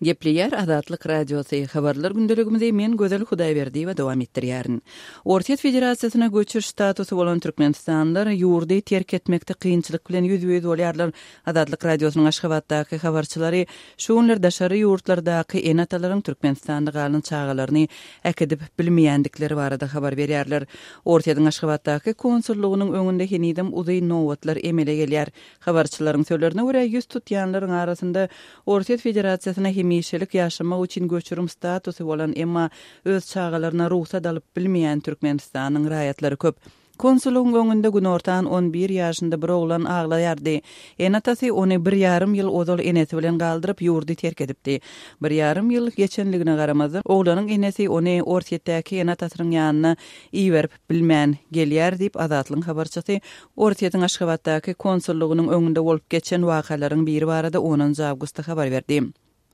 Gepleýär Azatlyk Radiosy, Habarlar gündeligimizi men Gözel Hudaýberdiýewa dowam etdirýärin. Orsýet Federasiýasyna göçüş statusy bolan türkmenistanlylar ýurdy terk etmekde kynçylyk bilen ýüzbe-ýüz bolýarlar. Azatlyk Radiosynyň Aşgabatdaky habarçylary şu günler daşary ýurtlardaky ene-atalaryň Türkmenistanda galan çagalaryny äkidip bilmeýändikleri barada habar berýärler. Orsýetiň Aşgabatdaky konsullygynyň öňünde henizem uzyn nobatlar emele gelýär. Habarçylaryň sözlerine görä, 100 tutýanlaryň arasynda Orsýet Federasiýasyna hemişelik ýaşamak üçin göçürim statusy bolan, emma öz çagalaryna rugsat alyp bilmeýän Türkmenistanyň raýatlary köp. Konsullygyň öňünde günortan on bir ýaşynda bir oglan aglaýardy. Ene-atasy ony bir ýarym ýyl ozal enesi bilen galdyryp, ýurdy terk edipdi. Bir ýarym ýyl geçenligine garamazdan, oglanyň enesi ony Orsýetdäki ene-atasynyň ýanyna iberip bilmän gelýär diýip, Azatlygyň habarçysy Orsýetiň Aşgabatdaky konsullygynyň öňünde bolup geçen wakalaryň biri barada onunjy awgustda habar berdi.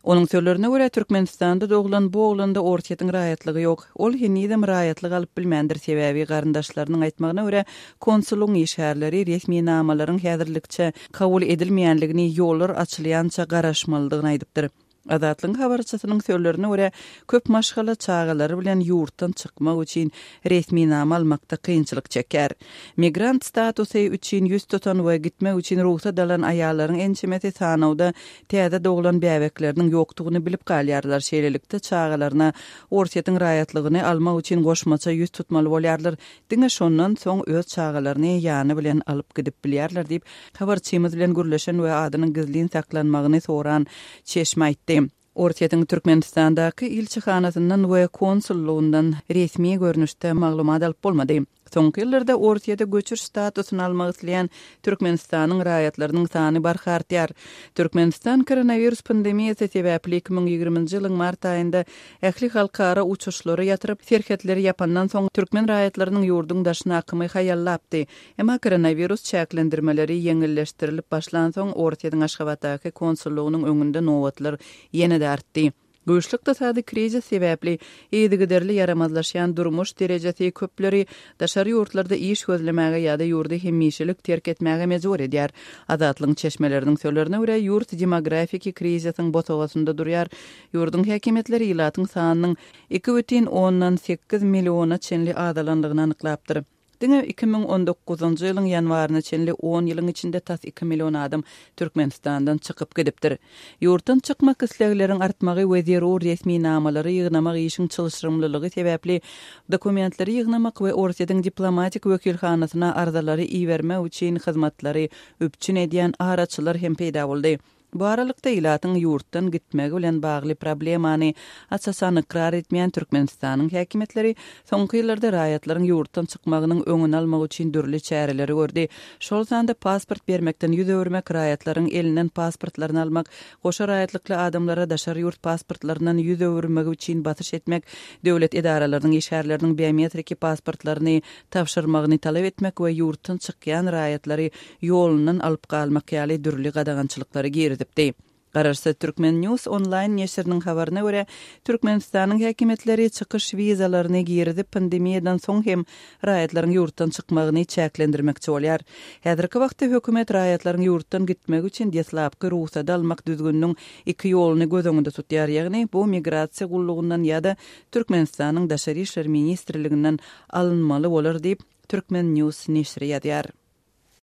Onuň sözlerine görä, Türkmenistanda doglan bu oglanda Orsýetiň raýatlygy ýok. Ol henizem raýatlyk alyp bilmändir, sebäbi garyndaşlarynyň aýtmagyna görä, konsullygyň işgärleri resminamalaryň häzirlikçe kabul edilmeýänligini, ýollar açylýança garaşmalydygyny aýdypdyr. Azatlygyň habarçysynyň sözlerine görä, köp maşgala çagalary bilen ýurtdan çykmak üçin resminama almakda kynçylyk çekýär. Migrant statusy üçin 100 tutan we gitmek üçin rugsat alan aýallaryň ençemesi sanawda täze doglan bäbekleriniň ýokdugyny bilip galýarlar, şeýlelikde, çagalaryna Orsýetiň raýatlygyny almak üçin goşmaça 100 tutmaly bolýarlar, diňe şondan soň öz çagalaryny ýany bilen alyp gidip bilýärler diýip, habarçymyz bilen gürleşen we adynyň gizlin saklanmagyny soran çeşme aýtdy. Orsýetiň Türkmenistandaky ilçihanasyndan we konsullygyndan resmi görnüşde maglumat alyp bolmady. Soňky ýyllarda Orsýete göçüş statusyny almak isleýän Türkmenistanyň raýatlarynyň sany barha artýar. Türkmenistan koronawirus pandemiýasy sebäpli 2020-nji ýylyň mart aýynda ähli halkara uçuşlary ýatyryp, serhetleri ýapandan soň türkmen raýatlarynyň ýurduň daşyna akymy haýallapdy. Emma koronawirus çäklendirmeleri ýeňilleşdirilip başlansoň, Orsýetiň Aşgabatdaky konsullygynyň öňünde nobatlar ýene-de artdy. Güýçli ykdysady krizis sebäpli yzygiderli ýaramazlaşýan durmuş derejesi köpleri daşary ýurtlarda iş gözlemäge ýa-da ýurdy hemişelik terk etmäge mejbur edýär. Azatlygyň çeşmeleriniň sözlerine görä, ýurt demografiki krizisiň bosagasynda durýar. Ýurduň häkimiýetleri ilatyň sanynyň 2,8 milliona çenli azalandygyny anyklapdyr. Diňe 2019-njy ýylyň ýanwaryna çenli on ýylyň içinde tas iki million adam Türkmenistandan çykyp gidipdir. Ýurtdan çykmak islegleriň artmagy we zerur resminamalary ýygnamak işiň çylşyrymlylygy sebäpli dokumentleri ýygnamak we Orsýetiň diplomatik wekilhanasyna arzalary ibermek üçin hyzmatlary üpjün edýän araçylar hem peýda boldy. Bu aralykda, ilatyň ýurtdan gitmegi bilen bagly problemany aç-açan ykrar etmeýän Türkmenistanyň häkimiýetleri soňky ýyllarda raýatlaryň ýurtdan çykmagynyň öňüni almak üçin dürli çäreleri gördi. Şol sanda pasport bermekden 100 öwürmek, raýatlaryň elinden pasportlaryny almak, goşa raýatlykly adamlara daşary ýurt pasportlaryndan 100 öwürmegi üçin basyş etmek, döwlet edaralarynyň işgärleriniň biometriki pasportlaryny tabşyrmagyny talap etmek we ýurtdan çykýan raýatlary ýolundan alyp galmak ýaly dürli gadagançylyklary girizipdi. Garaşsyz Turkmen News onlaýn neşiriniň habaryna görä, Türkmenistanyň häkimiýetleri çykyş wizalaryny girizip, pandemiýadan soň hem raýatlaryň ýurtdan çykmagyny çäklendirmekçi bolýar. Häzirki wagtda hökümet raýatlaryň ýurtdan gitmegi üçin deslapky rugsady almak düzgüniniň iki ýoluny göz öňünde tutýar, ýagny bu migrasiýa gullugyndan ýa-da Türkmenistanyň Daşary işler ministrliginden alynmaly bolar diýip, Turkmen. News neşiri ýazýar.